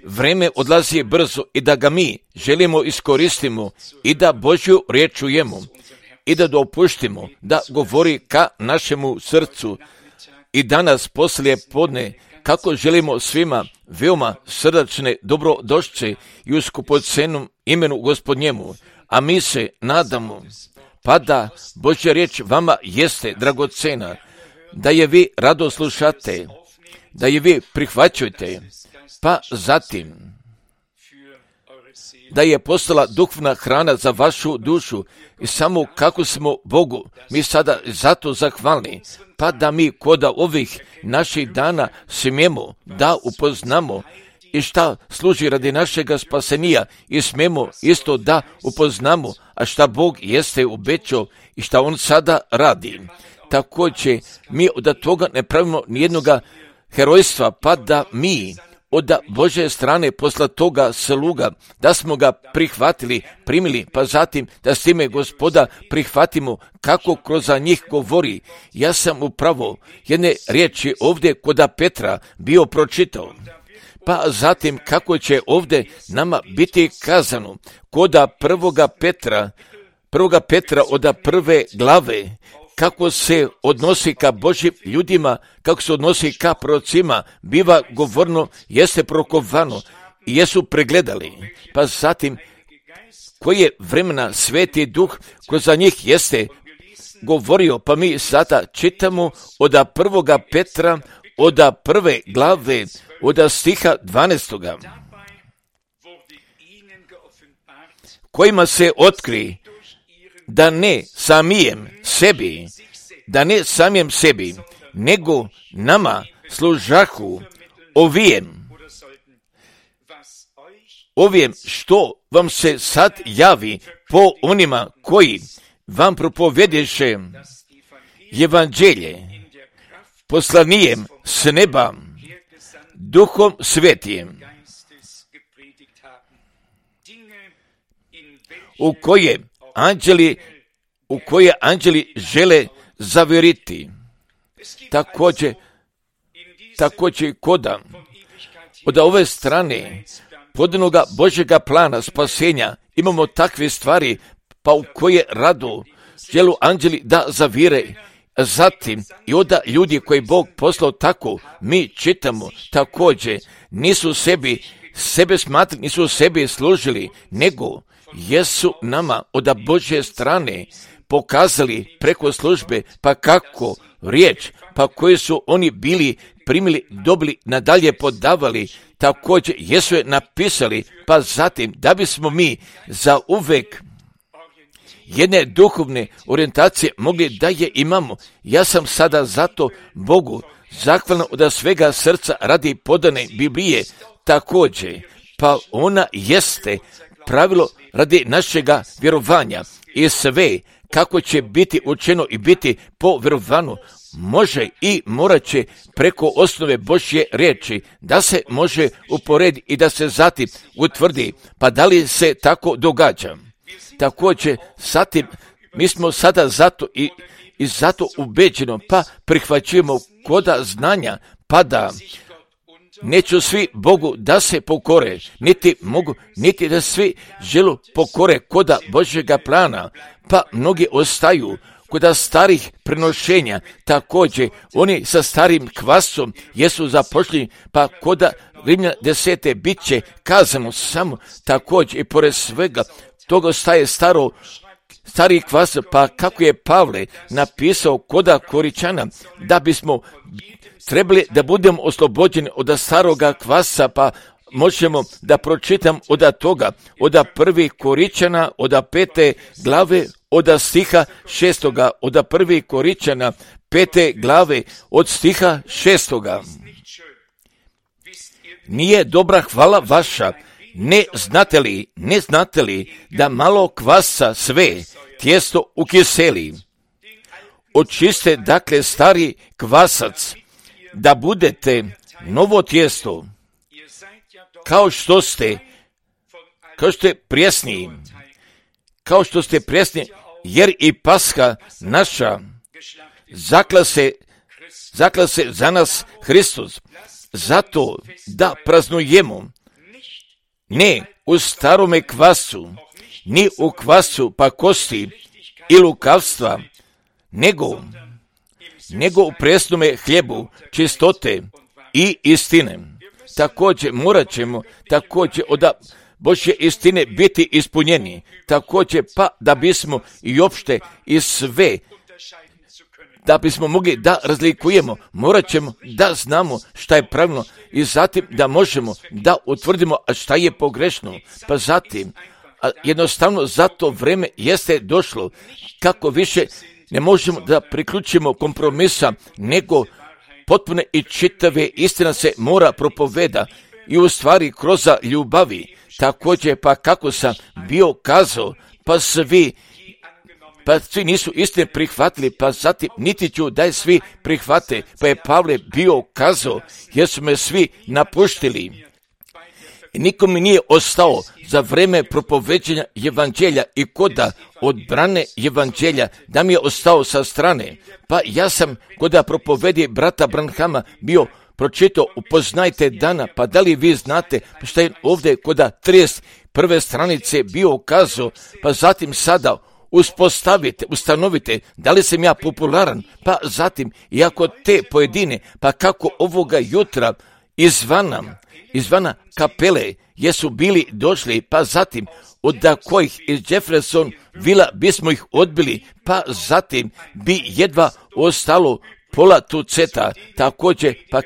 Vreme odlazi brzo i da ga mi želimo iskoristimo i da Božju riječ čujemo i da dopuštimo da govori ka našemu srcu. I danas poslije podne, kako želimo svima veoma srdačne dobrodošće i u skupocenom imenu Gospodnjemu, a mi se nadamo pa da Božja riječ vama jeste dragocena, da je vi rado slušate, da je vi prihvaćujete, pa zatim da je postala duhovna hrana za vašu dušu i samo kako smo Bogu mi sada zato zahvalni, pa da mi kod ovih naših dana smijemo da upoznamo i šta služi radi našega spasenija i smijemo isto da upoznamo, a šta Bog jeste obećao i šta On sada radi. Također mi od toga ne pravimo nijednoga herojstva, pa da mi od Božje strane posla toga sluga, da smo ga prihvatili, primili, pa zatim da s time Gospoda prihvatimo kako kroz njih govori. Ja sam upravo jedne riječi ovdje kod Petra bio pročitao, pa zatim kako će ovdje nama biti kazano kod prvoga Petra od prve glave, kako se odnosi ka Božjim ljudima, kako se odnosi ka prorocima, biva govorno, jeste prokovano i jesu pregledali. Pa zatim, koje vremena Sveti Duh kroz njih jeste govorio, pa mi sada čitamo od prvoga Petra, od prve glave, od stiha 12. Kojima se otkri da ne samijem sebi, nego nama služahu ovijem što vam se sad javi po onima koji vam propovjedeše evanđelje poslanijem s neba Duhom Svetijem, u koje anđeli žele zavjeriti. Također koda od ove strane podanoga Božjega plana spasenja imamo takve stvari, pa u koje rado želu anđeli da zavire. Zatim i od ljudi koji Bog poslao tako, mi čitamo također, nisu sebi služili, nego jesu nama od Božje strane pokazali preko službe, pa kako riječ, pa koje su oni bili primili, dobili, nadalje podavali, također jesu je napisali, pa zatim da bismo mi za uvek jedne duhovne orijentacije mogli da je imamo. Ja sam sada zato Bogu zahvalan od svega srca radi podane Biblije također, pa ona jeste pravilo radi našega vjerovanja i sve kako će biti učeno i biti po vjerovanju može i morat će preko osnove Božje riječi da se može uporediti i da se zatim utvrdi, pa da li se tako događa. Također, zatim, mi smo sada zato i zato ubeđeno, pa prihvaćujemo koda znanja, pa da neću svi Bogu da se pokore, niti da svi želu pokore koda Božjega plana, pa mnogi ostaju koda starih prenošenja, također oni sa starim kvasom jesu zapošljeni, pa koda Rimljana 10. bit će kazano samo također i pored svega toga ostaje stari kvas, pa kako je Pavle napisao koda Koričana, da bismo trebali da budemo oslobođeni od staroga kvasa, pa možemo da pročitam od toga, od 1. Koričana, od 5. glave, od stiha 6. od 1. Koričana, 5. glave, od stiha 6. Nije dobra hvala vaša, ne znate li da malo kvasa sve tijesto ukiseli? Očiste dakle stari kvasac, da budete novo tijesto, kao što ste prijesni, jer i Pasha naša zakla se zaklao se za nas Hristos, zato da praznujemo ne u starome kvasu, ni u kvasu pakosti i lukavstva, nego u presnome hljebu čistote i istine. Također morat ćemo od Božje istine biti ispunjeni, također pa da bismo i opšte i sve, da bismo mogli da razlikujemo, morat ćemo da znamo šta je pravilno i zatim da možemo da utvrdimo šta je pogrešno. Pa zatim, jednostavno za to vreme jeste došlo kako više ne možemo da priključimo kompromisa, nego potpune i čitave istina se mora propoveda i u stvari kroz ljubavi. Također pa kako sam bio kazao, pa svi nisu istine prihvatili, pa zatim niti ću da je svi prihvate, pa je Pavle bio kazao, jer su me svi napuštili. I nikom mi nije ostao za vreme propoveđenja evanđelja i koda odbrane evanđelja da mi je ostao sa strane. Pa ja sam koda propovedi brata Branhama bio pročitao, upoznajte dana, pa da li vi znate šta je ovdje koda 31. stranice bio kazao, pa zatim sada ustanovite da li sam ja popularan, pa zatim iako te pojedine, pa kako ovoga jutra izvana kapele jesu bili došli, pa zatim od kojih iz Jefferson Villa bismo ih odbili, pa zatim bi jedva ostalo pola tuceta, također pa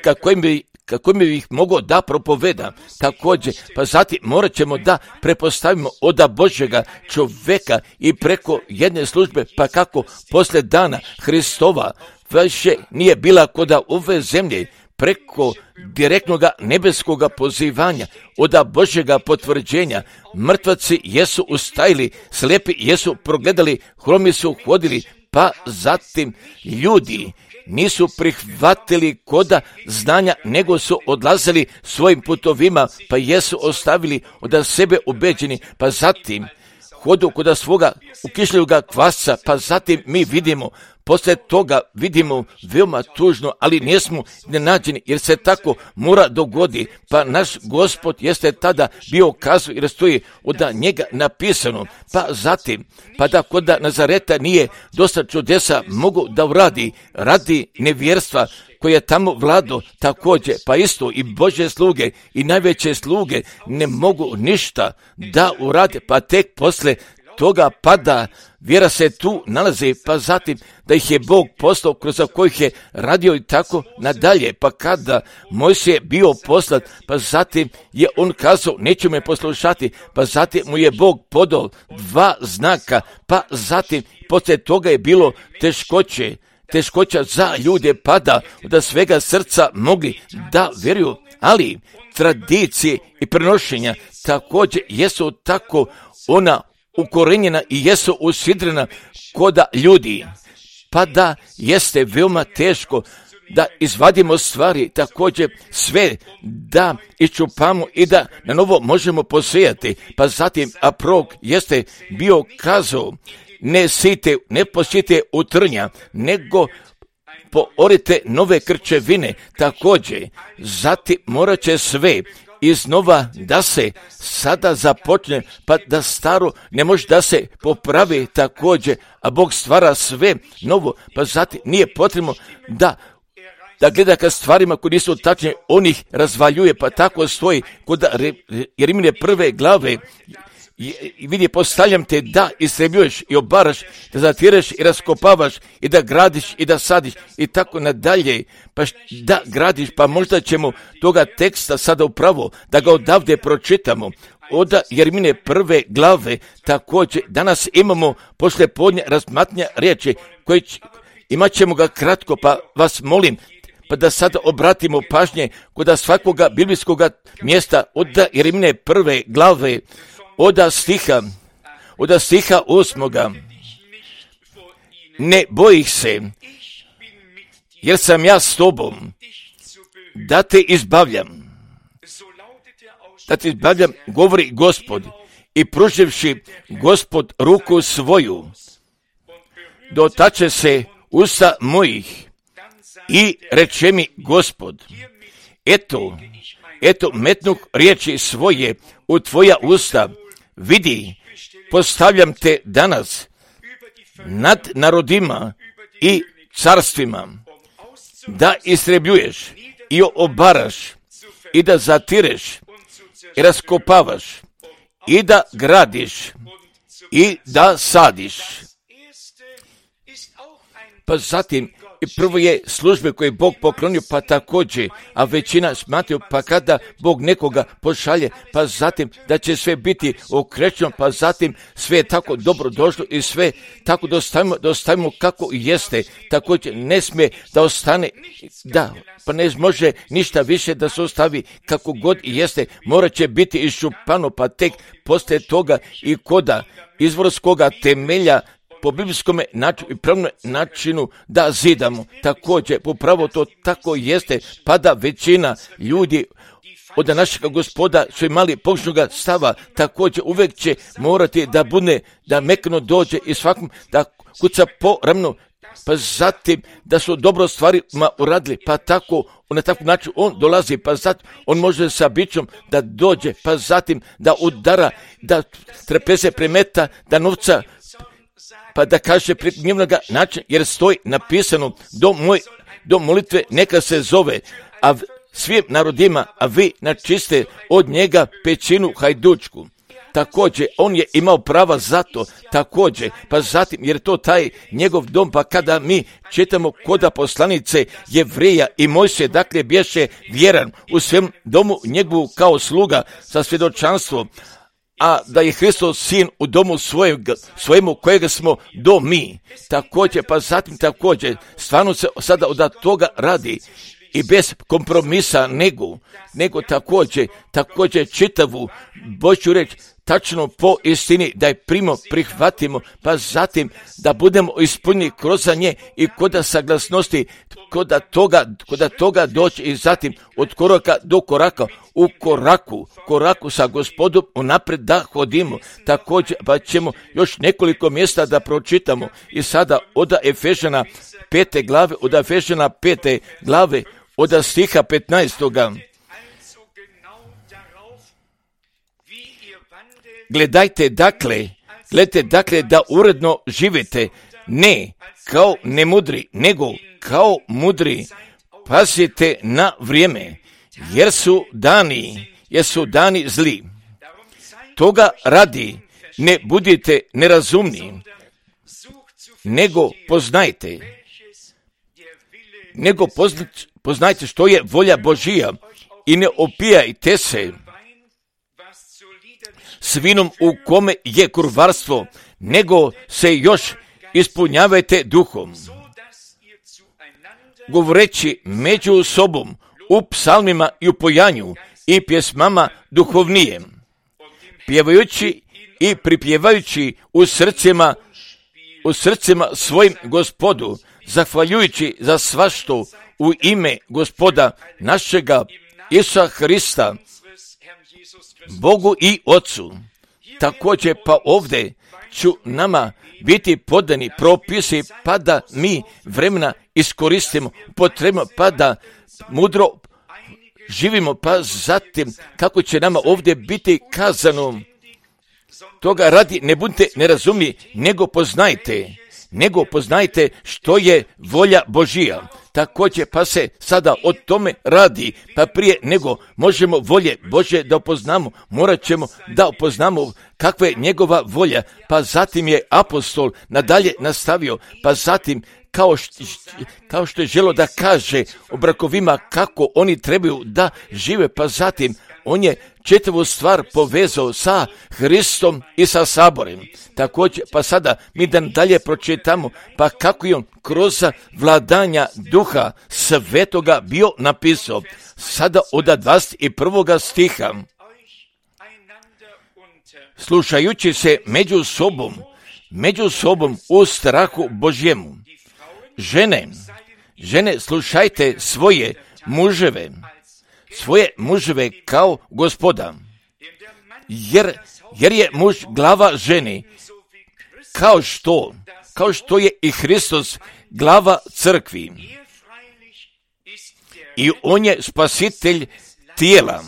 kako mi ih mogo da propoveda, također pa zatim morat ćemo da prepostavimo od Božjega čoveka i preko jedne službe, pa kako poslije dana Hristova više nije bila koda ove zemlje, preko direktnoga nebeskoga pozivanja, od Božjega potvrđenja, mrtvaci jesu ustajili, slijepi jesu progledali, hromi su hodili, pa zatim ljudi nisu prihvatili koda znanja, nego su odlazili svojim putovima, pa jesu ostavili od sebe ubeđeni, pa zatim hodu koda svoga ukišljuga kvasca, pa zatim mi vidimo, poslije toga vidimo veoma tužno, ali nismo nenađeni, jer se tako mora dogodi, pa naš Gospod jeste tada bio kazao, jer stoji od njega napisano, pa zatim, pa da kod Nazareta nije dosta čudesa mogu da uradi, radi nevjerstva koje je tamo vlado, također, pa isto i Božje sluge i najveće sluge ne mogu ništa da urade, pa tek posle toga pada, vjera se tu nalazi, pa zatim da ih je Bog poslao kroz kojih je radio i tako nadalje, pa kada Mojsije bio poslat, pa zatim je on kazao, neću me poslušati, pa zatim mu je Bog podao 2 znaka, pa zatim poslije toga je bilo teškoća za ljude, pada da svega srca mogli da vjeruju, ali tradicije i prenošenja također jesu tako ona ukorenjena i jesu usidrena koda ljudi, pa da jeste veoma teško da izvadimo stvari, također sve da iščupamo i da na novo možemo posejati, pa zatim prorok jeste bio kazao, ne posijete utrnja, nego poorite nove krčevine, također, zatim morat će sve iznova da se sada započne, pa da staro ne može da se popravi također, a Bog stvara sve novo, pa zatim nije potrebno da gleda ka stvarima koji nisu tačne, on ih razvaljuje, pa tako stoji kod Rimljane 1. glave, i vidi, postavljam te da istrebljuješ i obaraš, da zatireš i raskopavaš i da gradiš i da sadiš i tako nadalje, pa da gradiš, pa možda ćemo toga teksta sada upravo da ga odavde pročitamo od Jeremije 1. glave. Također danas imamo poslijepodne razmatnja riječi koje imat ćemo ga kratko, pa vas molim pa da sada obratimo pažnje kod svakoga biblijskoga mjesta od Jeremije 1. glave od stiha 8. Ne bojih se, jer sam ja s tobom, da te izbavljam, govori Gospod, i pruživši Gospod ruku svoju, dotače se usta mojih, I reče mi Gospod, eto metnuh riječi svoje u tvoja usta, vidi, postavljam te danas nad narodima i carstvima, da istrebljuješ i obaraš i da zatireš i raskopavaš i da gradiš i da sadiš. Pa zatim, i prvo je službe koje je Bog poklonio, pa također, a većina smatraju, pa kada Bog nekoga pošalje, pa zatim da će sve biti okrečeno, pa zatim sve je tako dobro došlo i sve tako da ostavimo kako jeste, također ne smije da ostane, pa ne može ništa više da se ostavi kako god jeste, morat će biti iščupano, pa tek poslije toga i koda izvorskoga temelja po biblijskom načinu i pravnom načinu da zidamo. Također, upravo to tako jeste, pa da većina ljudi od našega Gospoda su imali pogrešnoga stava, također uvijek će morati da bude, da mekno dođe i svakom da kuca po ramenu, pa zatim da su dobro stvarima uradili, pa tako, na takav način on dolazi, pa zatim on može sa bićom da dođe, pa zatim da udara, da trepese premeta, da novca, pa da kaže pred njevnoga način, jer stoji napisano, do molitve neka se zove, a svim narodima, a vi načiste od njega pećinu hajdučku. Također, on je imao prava za to, također, pa zatim, jer to taj njegov dom, pa kada mi čitamo koda poslanice Jevreja i Mojsije, dakle, bješe vjeran u svem domu njegovu kao sluga sa svjedočanstvom, a da je Hristos sin u domu svojemu kojega smo do mi. Također, pa zatim također, stvarno se sada od toga radi i bez kompromisa nego također čitavu Božju reč tačno po istini da je prihvatimo, pa zatim da budemo ispunjeni kroz nje i koda saglasnosti, koda toga doći i zatim od koraka do koraka, u koraku sa Gospodom unaprijed da hodimo. Također pa ćemo još nekoliko mjesta da pročitamo i sada od Efežana 5. glave, od stiha 15. Gledajte dakle da uredno živite, ne kao nemudri, nego kao mudri. Pazite na vrijeme, jer su dani zli. Toga radi ne budite nerazumni, nego poznajte što je volja Božija i ne opijajte se s vinom u kome je kurvarstvo, nego se još ispunjavajte duhom, govoreći među sobom u psalmima i u pojanju i pjesmama duhovnijem, pjevajući i pripjevajući u srcima svojim Gospodu, zahvaljujući za svašto u ime Gospoda našega Isusa Hrista, Bogu i Otcu. Također pa ovdje ću nama biti podani propisi, pa da mi vremena iskoristimo, potrebno, pa da mudro živimo, pa zatim kako će nama ovdje biti kazano. Toga radi ne budite nerazumni, nego poznajte što je volja Božija. Također pa se sada o tome radi, pa prije nego možemo volje Božje da upoznamo, morat ćemo da upoznamo kakva je njegova volja, pa zatim je apostol nadalje nastavio, pa zatim kao što je želo da kaže o brakovima kako oni trebaju da žive, pa zatim on je čitavu stvar povezao sa Hristom i sa saborem. Također, pa sada mi da dalje pročitamo, pa kako je on kroz vladanja Duha Svetoga bio napisao. Sada od 21. stiha. Slušajući se među sobom u strahu Božjemu. Žene, slušajte svoje muževe kao Gospoda, jer je muž glava ženi, kao što je i Hristos glava crkvi, i on je spasitelj tijela.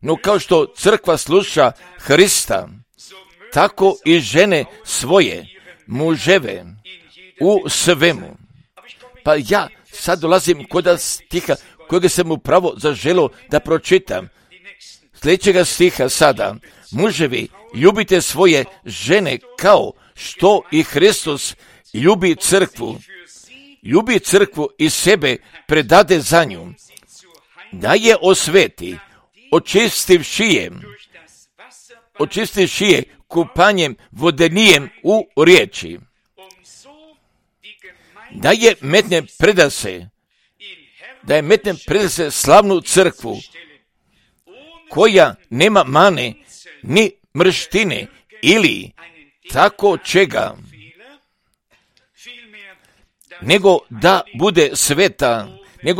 No kao što crkva sluša Hrista, tako i žene svoje muževe u svemu. Pa ja sad dolazim kod stiha kojeg sam upravo zaželio da pročitam. Sljedećega stiha sada. Muževi, ljubite svoje žene kao što i Hristos ljubi crkvu i sebe predade za nju, da je osveti, očistivši je kupanjem vodenijem u riječi, da je metne predase slavnu crkvu, koja nema mane ni mrštine ili tako čega, nego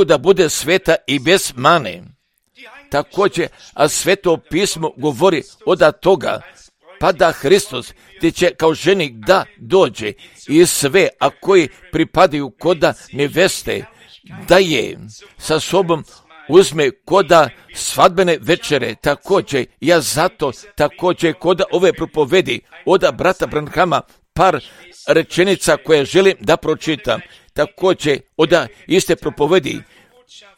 da bude sveta i bez mane. Također, a Sveto pismo govori od toga, pa da Hristos gdje će kao ženik da dođe i sve, a koji pripadaju koda neveste, da je sa sobom uzme koda svadbene večere. Također, ja zato također koda ove propovedi od brata Branhama par rečenica koje želim da pročitam. Također, od iste propovedi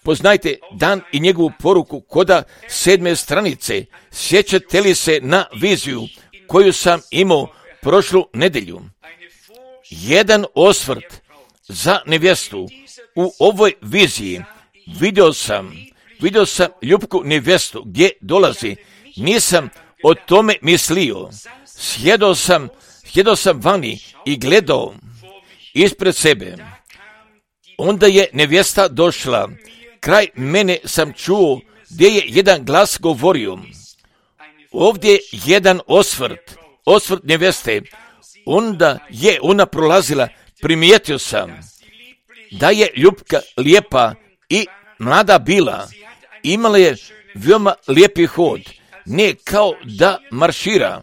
poznajte dan i njegovu poruku koda 7. stranice. Sjećate li se na viziju koju sam imao prošlu nedjelju? Jedan osvrt za nevjestu. U ovoj viziji vidio sam ljubku nevjestu gdje dolazi. Nisam o tome mislio. Sjedao sam vani i gledao ispred sebe. Onda je nevjesta došla. Kraj mene sam čuo gdje je jedan glas govorio. Ovdje jedan osvrt nevjeste. Onda je ona prolazila, primijetio sam da je ljubka lijepa i mlada bila. Imala je veoma lijepi hod, ne kao da maršira,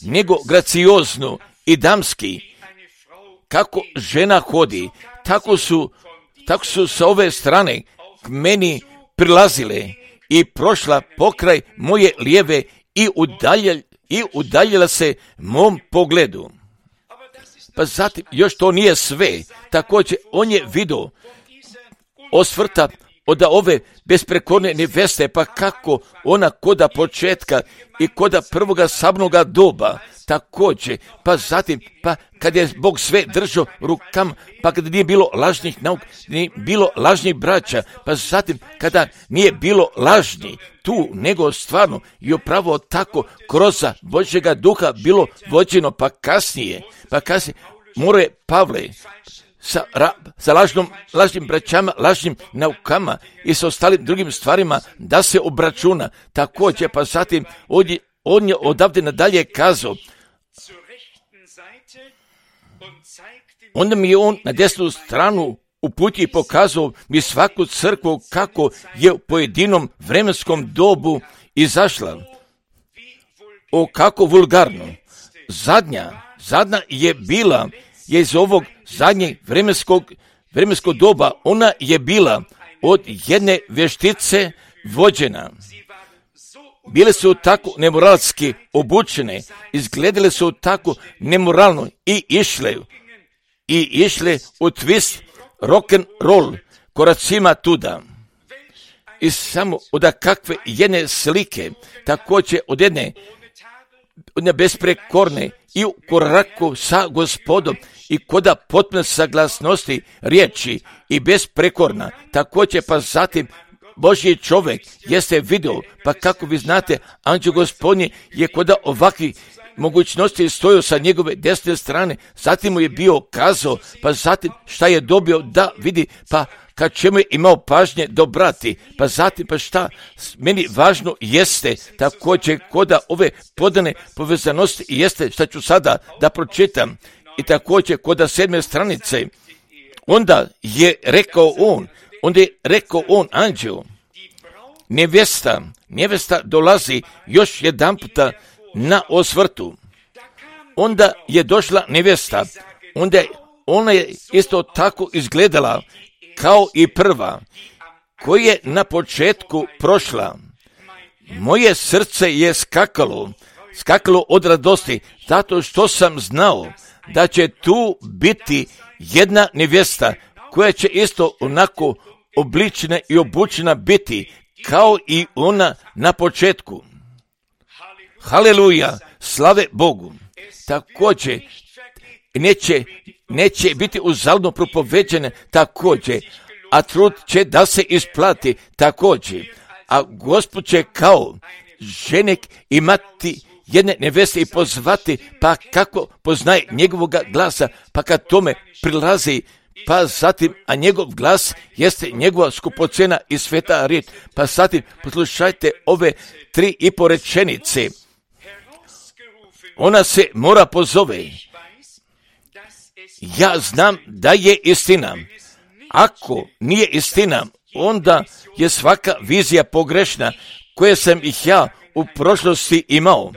nego graciozno i damski. Kako žena hodi, tako su sa ove strane k meni prilazile i prošla pokraj moje lijeve i udaljila se mom pogledu. Pa zatim, još to nije sve, također on je vidio osvrta od ove besprekorne neveste, pa kako ona koda početka i koda prvoga sabnoga doba, također, pa zatim, pa kad je Bog sve držao rukama, pa kada nije bilo lažnih nauka, nije bilo lažnih braća, pa zatim kada nije bilo lažni tu, nego stvarno i upravo tako kroz Božjega duha bilo vođeno, pa kasnije more Pavle sa lažnim braćama, lažnim naukama i sa ostalim drugim stvarima da se obračuna. Također, pa zatim on je odavde nadalje kazao, onda mi je on na desnu stranu uputio i pokazao mi svaku crkvu kako je u pojedinom vremenskom dobu izašla. O, kako vulgarno. Zadnja je bila, je iz ovog zadnjeg vremenskog doba, ona je bila od jedne vještice vođena. Bile su tako nemoralski obučene, izgledale su tako nemoralno i išle u twist rock and roll koracima tuda. I samo od kakve jedne slike, također od jedne besprekorne i u koraku sa Gospodom i koda potpune saglasnosti riječi i besprekorna, također pa zatim Božji čovjek jeste vidio, pa kako vi znate, anđeo Gospodnji je koda ovakvih mogućnosti stojao sa njegove desne strane, zatim mu je bio kazao, pa zatim šta je dobio da vidi, pa kad čemu je imao pažnje dobrati, pa zatim pa šta meni važno jeste također koda ove podane povezanosti jeste šta ću sada da pročitam i također koda 7. stranice, onda je rekao on anđeo, nevjesta dolazi još jedan puta na osvrtu. Onda je došla nevjesta, onda ona je isto tako izgledala kao i prva, koja je na početku prošla. Moje srce je skakalo od radosti, zato što sam znao da će tu biti jedna nevjesta koja će isto onako obličena i obučena biti kao i ona na početku. Haleluja, slave Bogu. Također neće biti uzaludno propoveđene također, a trud će da se isplati također. A Gospod će kao ženik imati jedne neveste i pozvati, pa kako poznaje njegovoga glasa, pa kad tome prilazi, pa zatim, a njegov glas jeste njegova skupocena i sveta riječ, pa zatim poslušajte ove 3,5 rečenice. Ona se mora pozove. Ja znam da je istina. Ako nije istina, onda je svaka vizija pogrešna koje sam ih ja u prošlosti imao.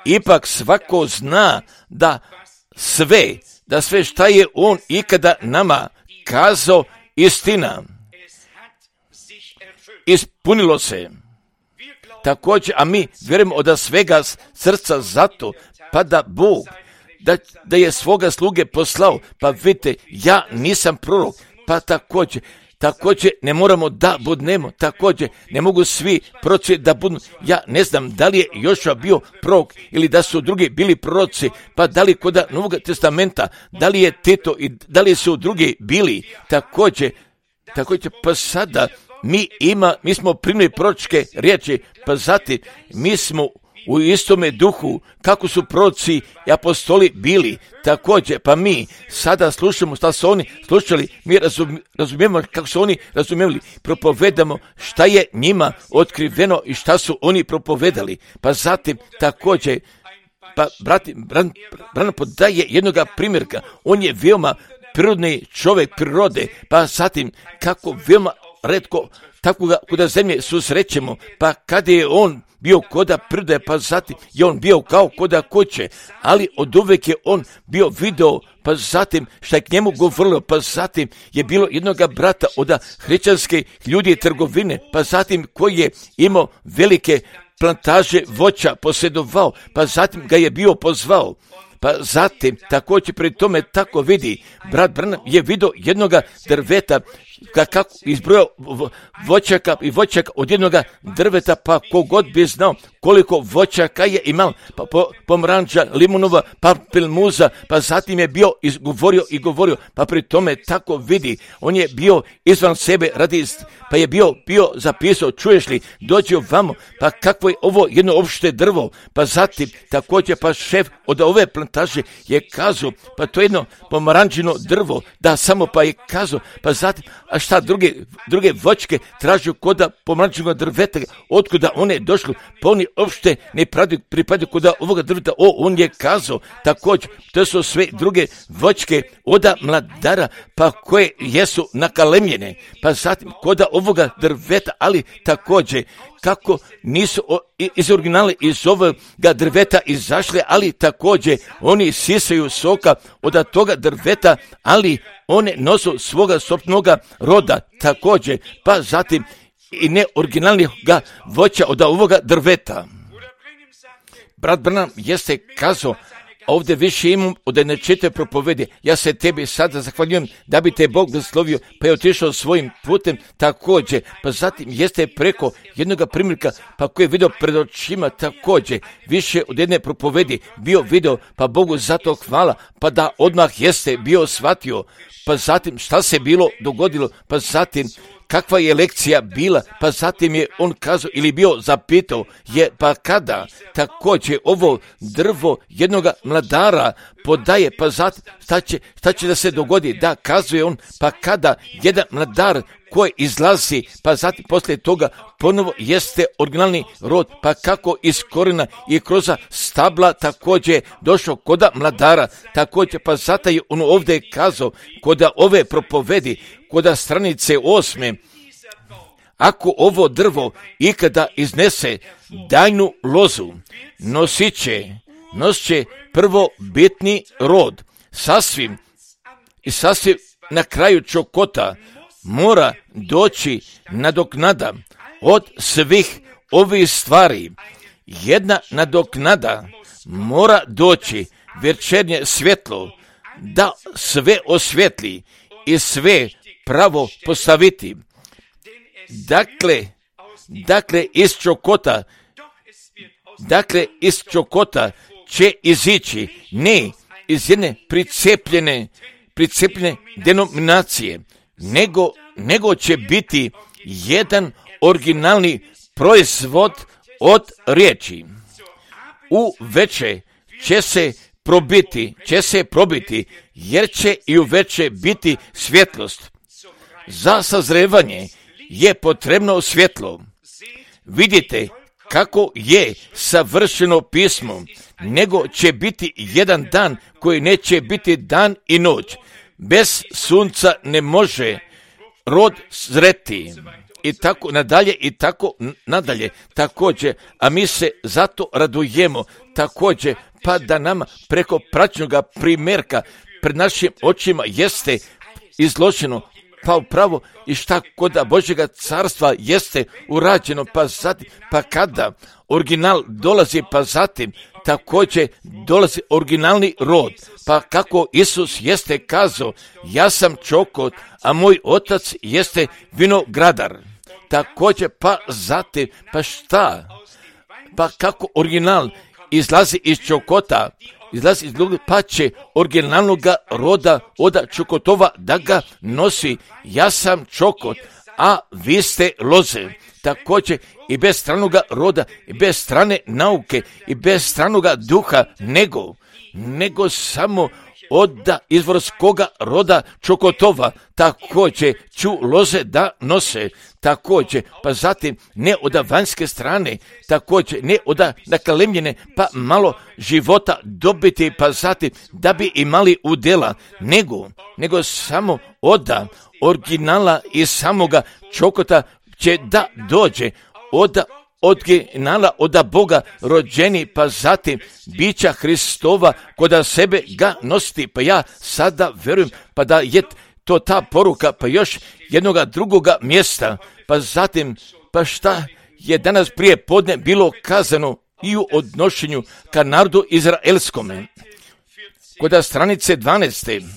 Ipak svako zna da sve šta je on ikada nama kazao istina. Ispunilo se. Također, a mi vjerujemo od svega srca zato, pa da Bog, da je svoga sluge poslao, pa vidite, ja nisam prorok, pa također ne moramo da budnemo, također ne mogu svi proroci da budu, ja ne znam da li je Jošua bio prorok ili da su drugi bili proroci, pa da li kod Novog testamenta, da li je Tito i da li su drugi bili, također pa sada mi smo primili proročke riječi, pa zatim mi smo u istome duhu, kako su proroci i apostoli bili, također, pa mi sada slušamo šta su oni slušali, mi razumijemo kako su oni razumijeli, propovedamo šta je njima otkriveno i šta su oni propovedali, pa zatim također, pa Branham podaje jednoga primjerka, on je veoma prirodni čovjek prirode, pa zatim kako veoma retko takvoga kuda zemlje susrećemo, pa kada je on bio koda prirode, pa zatim je on bio kao koda kuće, ali od uvijek je on bio video, pa zatim šta je k njemu govorilo, pa zatim je bilo jednoga brata od hrišćanske ljudi i trgovine, pa zatim koji je imao velike plantaže voća, posjedovao, pa zatim ga je bio pozvao. Pa zatim, također pri tome tako vidi, brat Branham je vidio jednoga drveta, kako izbrojao voćaka i voćaka od jednoga drveta, pa kogod bi znao koliko voćaka je imao, pa pomranđa, limunova, papilmuza, pa zatim je bio govorio, pa pri tome tako vidi, on je bio izvan sebe pa je bio zapisao, čuješ li, dođi ovamo, pa kakvo je ovo jedno opšte drvo, pa zatim također pa šef od ove plantaže je kazao, pa to je jedno pomaranđino drvo, da samo pa je kazao, pa zatim, a šta druge voćke tražu koda pomaranđinog drveta, otkuda one došlo, pa oni uopšte ne pripadaju koda ovoga drveta, on je kazao, također, to su sve druge voćke od mladara, pa koje jesu nakalemljene, pa zatim koda ovoga drveta, ali također, kako nisu iz originala iz ovoga drveta izašle, ali također oni sisaju soka od toga drveta, ali one nosu svoga sopnoga roda također, pa zatim i ne originalnih voća od ovoga drveta. Brat Branham jeste kazao, ovdje više imam od jedne četiri propovedi, ja se tebi sada zahvaljujem da bi te Bog blagoslovio, pa je otišao svojim putem također, pa zatim jeste preko jednoga primjerka, pa koji je vidio pred očima također, više od jedne propovedi bio video, pa Bogu zato hvala, pa da odmah jeste bio shvatio, pa zatim šta se bilo dogodilo, pa zatim kakva je lekcija bila, pa zatim je on kazao ili bio zapitao, pa kada također ovo drvo jednoga mladara podaje, pa zatim šta će da se dogodi, da kazuje on, pa kada jedan mladar koji izlazi, pa zatim poslije toga ponovo jeste originalni rod, pa kako iz korena i kroz stabla također došao koda mladara, također pa zato je on ovdje kazao, koda ove propovedi, koda stranice 8. Ako ovo drvo ikada iznese dajnu lozu, nosit će prvobitni rod, sasvim i sasvim na kraju čokota mora doći nadoknada od svih ovih stvari. Jedna nadoknada mora doći, večernje svjetlo, da sve osvjetli i sve pravo postaviti. Dakle, iz čokota će izići ne iz jedne pricepljene denominacije, nego će biti jedan originalni proizvod od riječi. U veče će se probiti, jer će i u veče biti svjetlost. Za sazrevanje je potrebno svjetlo. Vidite kako je savršeno pismo, nego će biti jedan dan koji neće biti dan i noć. Bez sunca ne može rod zreti. I tako nadalje, također, a mi se zato radujemo, također, pa da nam preko praćnoga primjerka pred našim očima jeste izloženo, pa upravo i šta kod Božjega carstva jeste urađeno, pa kada original dolazi, pa zatim također dolazi originalni rod, pa kako Isus jeste kazao, ja sam čokot, a moj otac jeste vinogradar. Također, pa zatim, pa šta? Pa kako original izlazi iz čokota, pa će originalnog roda od čokotova da ga nosi. Ja sam čokot, a vi ste loze. Također i bez stranog roda, i bez strane nauke, i bez stranog duha, nego samo od izvorskoga roda čokotova, također ću loze da nose, također, pa zatim ne od vanjske strane, također ne od nakalemljene, pa malo života dobiti, pa zatim da bi imali udjela, nego samo od originala i samoga čokota će da dođe od originala od Boga rođeni, pa zatim bića Hristova koda sebe ga nositi. Pa ja sada verujem pa da je to ta poruka, pa još jednoga drugoga mjesta, pa zatim, pa šta je danas prije podne bilo kazano i u odnošenju ka narodu izraelskome. Koda stranice 12.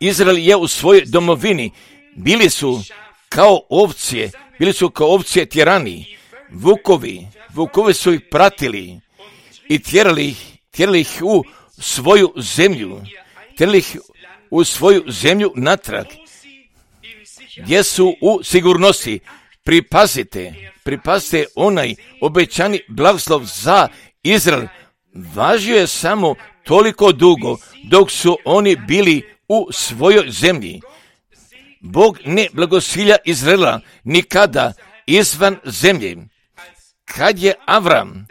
Izrael je u svojoj domovini, bili su kao ovce tjerani, vukovi su ih pratili i tjerali ih u svoju zemlju, natrag, gdje su u sigurnosti. Pripazite onaj obećani blagoslov za Izrael važio je samo toliko dugo dok su oni bili u svojoj zemlji. Bog ne blagosilja Izraela nikada izvan zemlje. Kad je Avram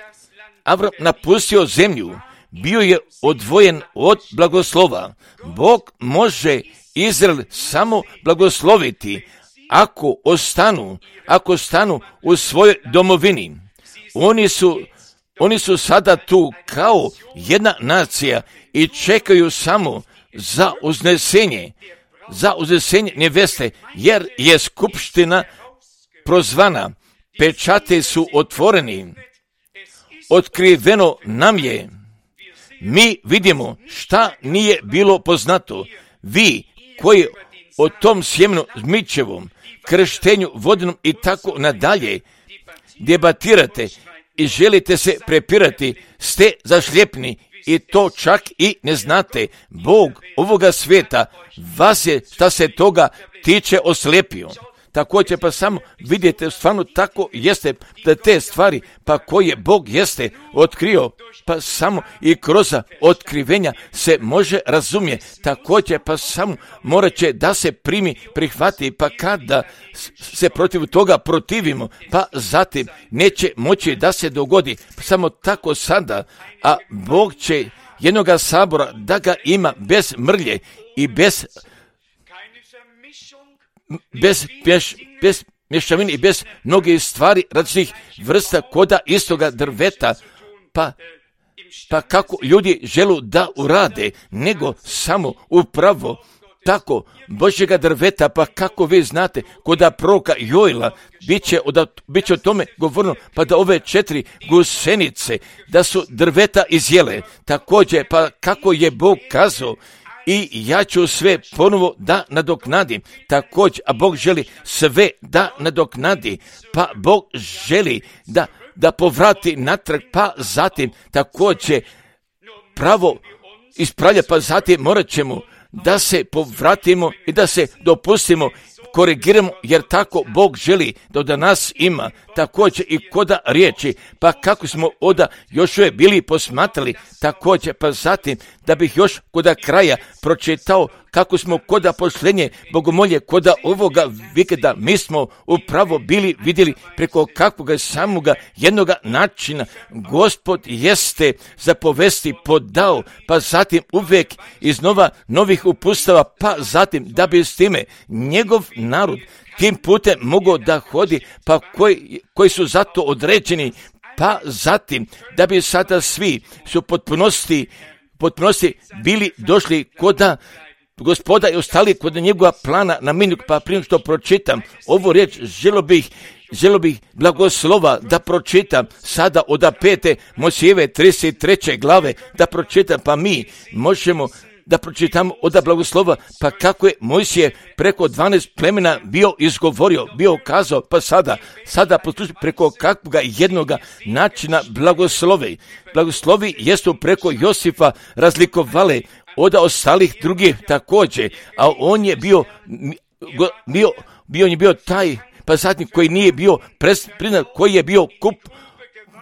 napustio zemlju, bio je odvojen od blagoslova. Bog može Izrael samo blagosloviti ako ostanu u svojoj domovini. Oni su sada tu kao jedna nacija i čekaju samo za uznesenje neveste, jer je skupština prozvana, pečate su otvoreni, otkriveno nam je. Mi vidimo šta nije bilo poznato. Vi koji o tom sjemenu zmičevom, krštenju vodenom i tako nadalje debatirate i želite se prepirati, ste zašljepni i to čak i ne znate. Bog ovoga svijeta vas je, šta se toga tiče, oslijepio. Također pa samo vidite, stvarno tako jeste da te stvari pa koje Bog jeste otkrio, pa samo i kroz otkrivenja se može razumjeti. Također pa samo morat će da se prihvati, pa kada se protiv toga protivimo, pa zatim neće moći da se dogodi. Samo tako sada, a Bog će jednoga sabora da ga ima bez mrlje i bez mješavine i bez mnogih stvari različitih vrsta koda istoga drveta, pa pa kako ljudi želu da urade, nego samo upravo tako Božjega drveta, pa kako vi znate, koda proroka Joela bit će o tome govorno, pa da ove 4 gusenice, da su drveta izjele, također, pa kako je Bog kazao, i ja ću sve ponovo da nadoknadim, također, a Bog želi sve da nadoknadi, pa Bog želi da povrati natrag, pa zatim također pravo ispravlja, pa zatim morat ćemo da se povratimo i da se dopustimo, korigiramo, jer tako Bog želi da od nas ima, također i koda riječi, pa kako smo oda još uvijek bili posmatrali, također, pa zatim da bih još koda kraja pročitao kako smo koda posljednje bogomolje, koda ovoga vikenda mi smo upravo bili vidjeli preko kakvoga samoga jednoga načina Gospod jeste zapovesti podao, pa zatim uvijek iz novih upustava, pa zatim da bi s time njegov narod tim putem mogao da hodi, pa koji su zato određeni, pa zatim da bi sada svi su potpunosti bili došli koda Gospoda i ostali kod njegova plana na minut, pa prije što pročitam ovu riječ, želo bih blagoslova da pročitam sada od 5. Mojsijeve 33. glave, da pročitam, pa mi možemo da pročitamo od blagoslova, pa kako je Mojsije preko 12 plemena bio izgovorio, bio kazao, pa sada poslušaj preko kakvoga jednoga načina blagoslovi jesu preko Josifa razlikovale od ostalih drugih također, a on je bio taj, pa zatim koji nije bio priznat, koji je bio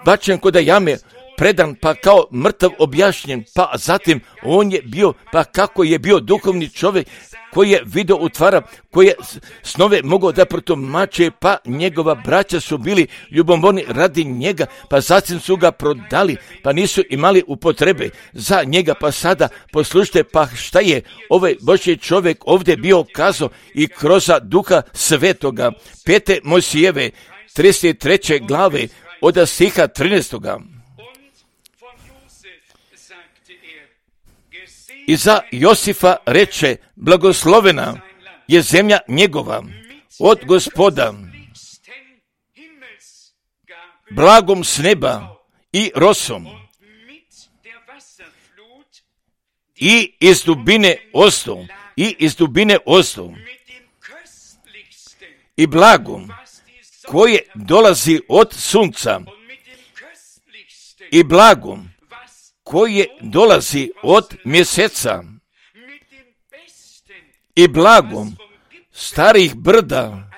bačen kod jame, predan, pa kao mrtav objašnjen, pa zatim on je bio, pa kako je bio duhovni čovjek, koji je video utvara, koji je snove mogao da protumače, pa njegova braća su bili ljubomorni radi njega, pa zatim su ga prodali, pa nisu imali upotrebe za njega, pa sada poslušajte, pa šta je ovaj Božji čovjek ovdje bio kazao i kroz Duha Svetoga. 5. Mojsijeve 33. glave od stiha 13. I za Josifa reče, blagoslovena je zemlja njegova od Gospoda, blagom s neba i rosom, i iz dubine ostu, i blagom koje dolazi od sunca, i blagom koje dolazi od mjeseca, i blagom starih brda,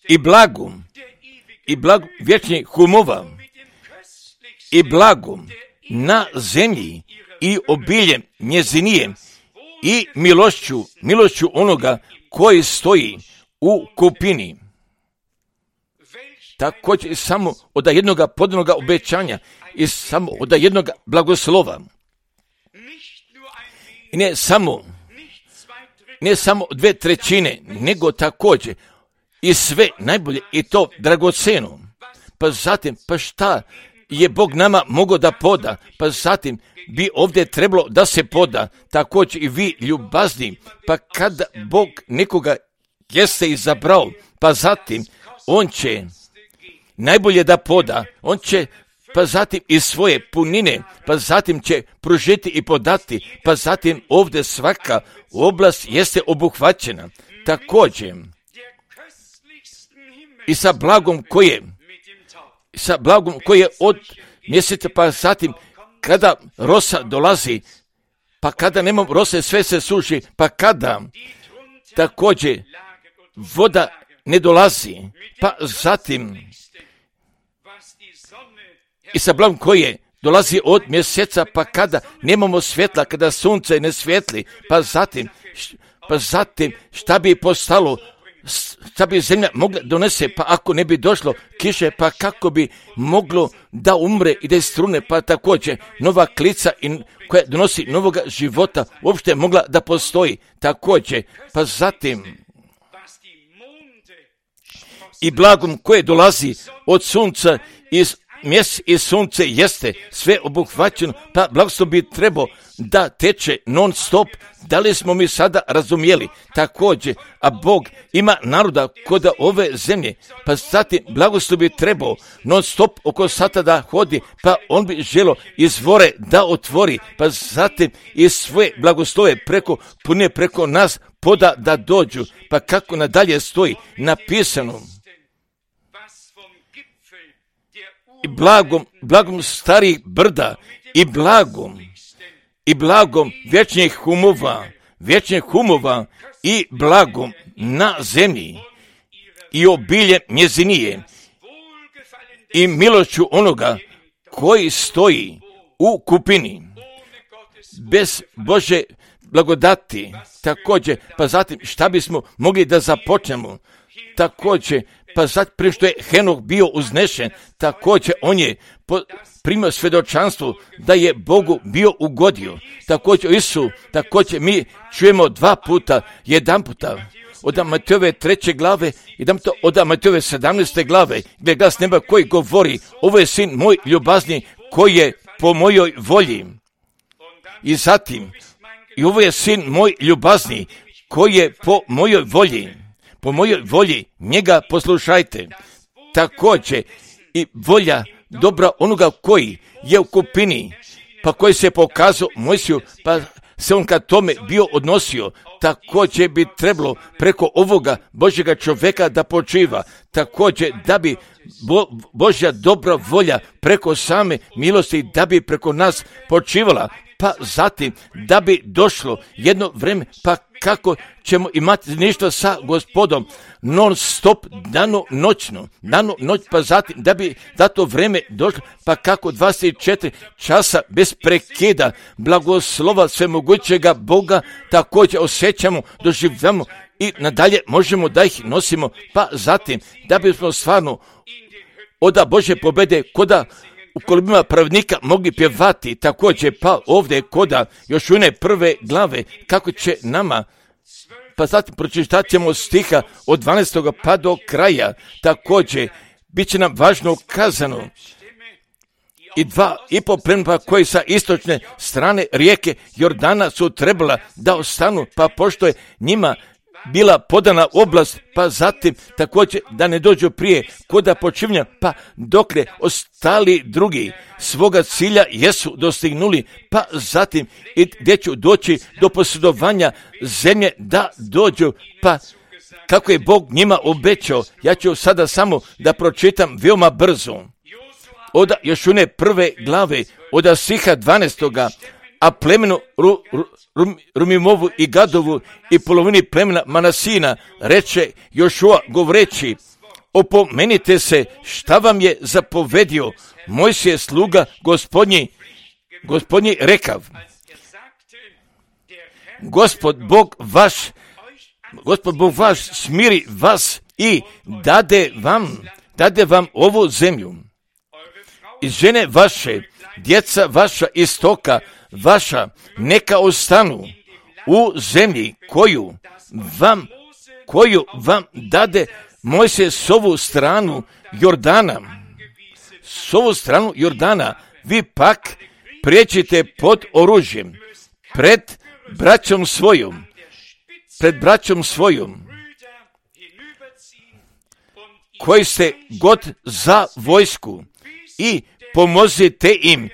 i blagom vječnih humova, i blagom na zemlji i obiljem njezinijem, i milošću onoga koji stoji u kupini. Također samo od jednog podanog obećanja i samo od jednog blagoslova. I ne samo 2/3, nego također i sve najbolje i to dragoceno. Pa zatim, pa šta je Bog nama mogao da poda? Pa zatim bi ovdje trebalo da se poda, također i vi ljubazni, pa kada Bog nekoga jeste izabrao, pa zatim on će najbolje da poda, on će pa zatim iz svoje punine, pa zatim će pružiti i podati, pa zatim ovdje svaka oblast jeste obuhvaćena. Također i sa blagom koje od mjeseca, pa zatim kada rosa dolazi, pa kada nema rose sve se suši, pa kada također voda ne dolazi, pa zatim i sa blagom koje dolazi od mjeseca, pa kada nemamo svjetla, kada sunce ne svijetli, pa zatim šta bi postalo, šta bi zemlja mogla donese, pa ako ne bi došlo kiše, pa kako bi moglo da umre i da istrune, pa također nova klica koja donosi novoga života uopšte mogla da postoji također, pa zatim i blagom koje dolazi od sunca mjesec i sunce jeste sve obuhvaćeno, pa blagoslov bi trebao da teče non stop. Da li smo mi sada razumjeli? Također, a Bog ima naroda kod ove zemlje, pa zatim blagoslov bi trebao non stop oko sata da hodi, pa on bi želio izvore da otvori, pa zatim i svoje blagoslove preko nas poda da dođu. Pa kako nadalje stoji napisano, i blagom starih brda i blagom vječnih humova i blagom na zemlji i obiljem njezinije i milošću onoga koji stoji u kupini. Bez Bože blagodati također, pa zatim šta bismo mogli da započnemo? Također, pa zatim prije što je Henok bio uznešen, također on je primio svjedočanstvo da je Bogu bio ugodio. Također Isu, također mi čujemo jedan puta od Matejove 3. glave, jedan puta od Matejove 17. glave, gdje glas neba koji govori, ovo je sin moj ljubazni koji je po mojoj volji. I zatim, i ovo je sin moj ljubazni koji je po mojoj volji, njega poslušajte. Također i volja dobra onoga koji je u kupini, pa koji se pokazao Mojsiju, pa se on ka tome bio odnosio. Također bi trebalo preko ovoga Božjega čovjeka da počiva. Također da bi Božja dobra volja preko same milosti da bi preko nas počivala. Pa zatim da bi došlo jedno vrijeme, pa kako ćemo imati ništa sa Gospodom non stop, dano noć, pa zatim da bi da to vrijeme došlo, pa kako 24 časa bez prekida blagoslova svemogućega Boga također osjećamo, doživljamo i nadalje možemo da ih nosimo, pa zatim da bismo stvarno oda Božje pobjede koda u kolibima pravednika mogli pjevati također, pa ovdje koda još one 1. glave kako će nama, pa zatim pročitat ćemo stiha od 12. pa do kraja. Također bit će nam važno kazano i 2,5 plemena koji sa istočne strane rijeke Jordana su trebala da ostanu, pa pošto je njima bila podana oblast, pa zatim također da ne dođu prije koda počivnja, pa dokle ostali drugi svoga cilja jesu dostignuli, pa zatim i gdje ću doći do posjedovanja zemlje da dođu, pa kako je Bog njima obećao. Ja ću sada samo da pročitam veoma brzo. Od još one 1. glave, od stiha 12. A plemenu Rumimovu i Gadovu i polovini plemena Manasina reče Jošua govoreći, opomenite se šta vam je zapovedio Mojsije sluga gospodnji rekav. Gospod Bog vaš smiri vas i dade vam ovu zemlju. I žene vaše, djeca vaša i stoka vaša neka ostanu u zemlji koju vam dade Mojsije s ovu stranu Jordana. Vi pak prijeđite pod oružjem pred braćom svojom koji ste god za vojsku i pomozite im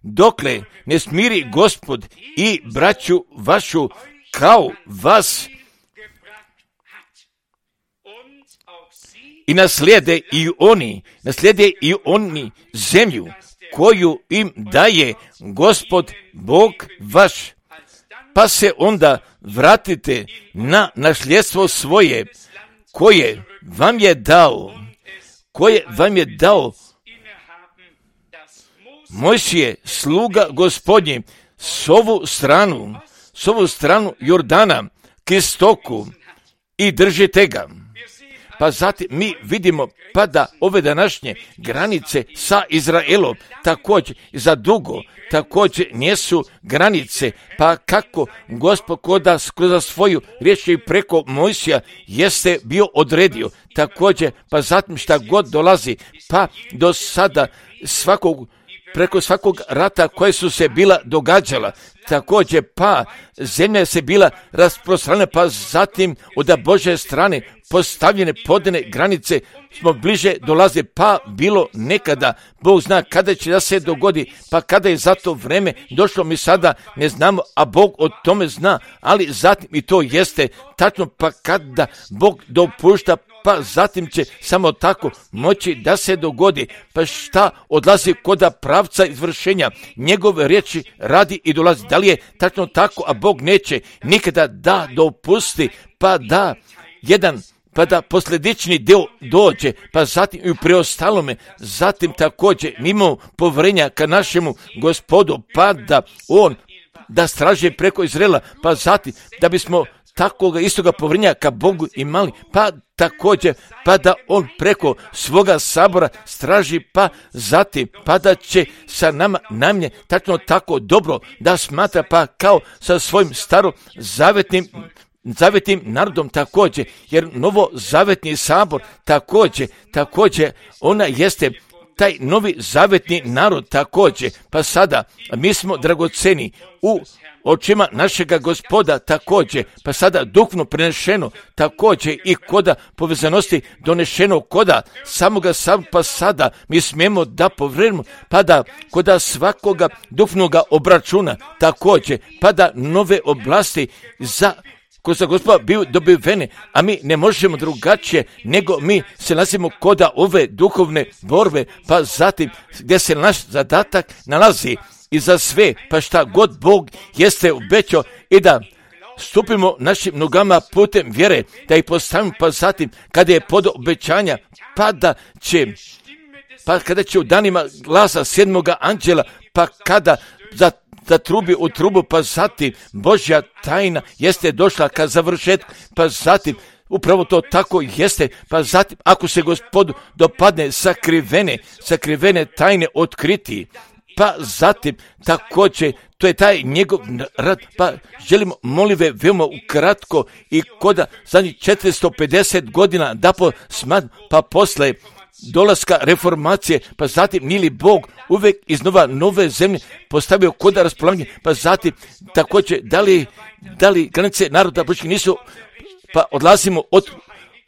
dokle ne smiri Gospod i braću vašu kao vas i naslijede i oni zemlju koju im daje Gospod Bog vaš, pa se onda vratite na nasljedstvo svoje koje vam je dao Mojsije sluga Gospodnji s ovu stranu Jordana k istoku i držite ga. pa zatim mi vidimo pa da ove današnje granice sa Izraelom također za dugo također nisu granice, pa kako Gospod kroz svoju riječ i preko Mojsija jeste bio odredio također, pa zatim šta god dolazi, pa do sada preko svakog rata koje su se bila događala, također pa zemlja se bila rasprostranjena, pa zatim od Božje strane postavljene podane granice smo bliže dolaze, pa bilo nekada, Bog zna kada će da se dogodi, pa kada je za to vreme došlo mi sada ne znamo, a Bog o tome zna, ali zatim i to jeste tačno, pa kada Bog dopušta, pa zatim će samo tako moći da se dogodi, pa šta odlazi koda pravca izvršenja njegove riječi radi i dolazi. Da li je tačno tako, a Bog neće nikada da dopusti, pa da posljedični dio dođe, pa zatim i u preostalome, zatim također mimo povjerenja ka našemu Gospodu, pa da on da straže preko Izraela, pa zatim da bismo takoga istoga povjerenja ka Bogu imali, pa također pa da on preko svoga sabora straži, pa zatim pa da će sa nama najmanje tačno tako dobro da smatra, pa kao sa svojim zavetnim narodom također, jer novozavetni sabor također ona jeste taj novi zavetni narod također, pa sada mi smo dragoceni u očima našega Gospoda također, pa sada duhovno prenešeno također i koda povezanosti donešeno koda samoga sam, pa sada mi smijemo da povjerujemo, pa da koda svakoga duhovnoga obračuna također, pa da nove oblasti ko za Gospoda bio dobivene, a mi ne možemo drugačije nego mi se nalazimo koda ove duhovne borbe, pa zatim gdje se naš zadatak nalazi i za sve, pa šta god Bog jeste obećao i da stupimo našim nogama putem vjere, da ih postavimo, pa zatim kada je pod obećanja, kada će u danima glasa sedmoga anđela, pa kada zatrubi u trubu, pa zatim Božja tajna jeste došla ka završetku, pa zatim upravo to tako jeste, pa zatim ako se Gospodu dopadne sakrivene tajne otkriti, pa zatim također to je taj njegov rad, pa želimo molive veoma ukratko i koda zadnjih 450 godina da pa posle dolaska reformacije, pa zatim nije li Bog uvijek iznova nove zemlje postavio koda raspolaganje, pa zatim također da li granice naroda Božjih nisu, pa odlazimo od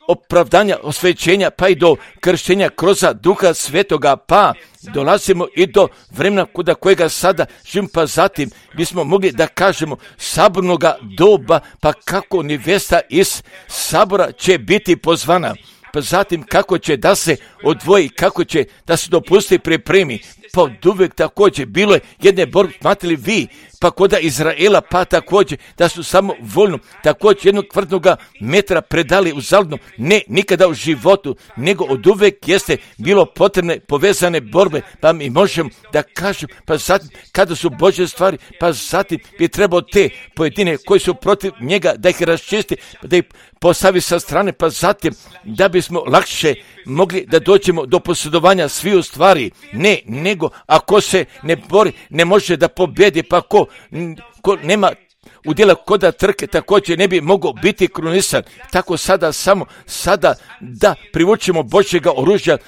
opravdanja, osvećenja, pa i do krštenja kroz Duha Svetoga, pa dolazimo i do vremena kuda kojega sada živimo, pa zatim bismo mogli da kažemo sabornoga doba, pa kako nevesta iz sabora će biti pozvana, pa zatim kako će da se odvoji, kako će da se dopusti pripremi, pa od uvijek također bilo je jedne borbe, smatrali vi, pa koda Izraela, pa također da su samo voljno također jednog kvrdnoga metra predali u zaludno, ne nikada u životu, nego od uvijek jeste bilo potrebne povezane borbe, pa mi možemo da kažemo, pa zatim kada su Božje stvari, pa zatim bi trebao te pojedine koji su protiv njega da ih raščisti, da ih postavi sa strane, pa zatim da bismo lakše mogli da dođemo do posjedovanja sviju stvari, ne, nego ako se ne bori, ne može da pobjedi, pa ko nema udjela koda trke također ne bi mogao biti krunisan. Tako sada da privučemo Božjega oružja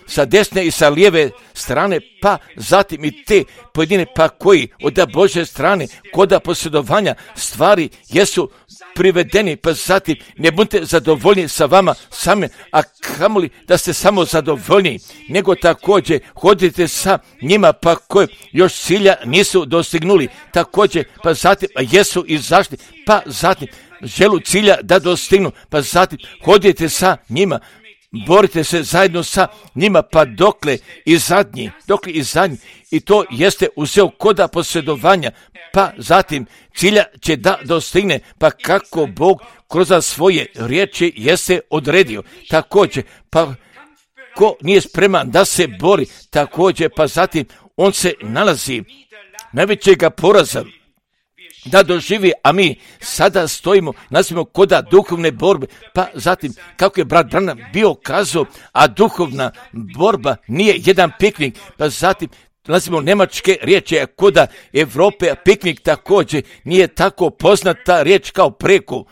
sa desne i sa lijeve strane, pa zatim i te pojedine pa koji od Božje strane koda posjedovanja stvari jesu privedeni, pa zatim ne budete zadovoljni sa vama same, a kamoli da ste samo zadovoljni, nego također hodite sa njima pa koji još cilja nisu dostignuli, također pa zatim jesu izašli, pa zatim želu cilja da dostignu, pa zatim hodite sa njima, borite se zajedno sa njima, pa dokle i zadnji, i to jeste uzeo koda posjedovanja, pa zatim cilja će da dostigne, pa kako Bog kroz svoje riječi jeste odredio, također, pa ko nije spreman da se bori, također, pa zatim on se nalazi najvećega poraza. da doživi, a mi sada stojimo, nazivamo koda duhovne borbe, pa zatim, kako je brat Branham bio kazao, a duhovna borba nije jedan piknik, pa zatim, nazivamo njemačke riječi, koda Evrope, a piknik također nije tako poznata riječ kao preko,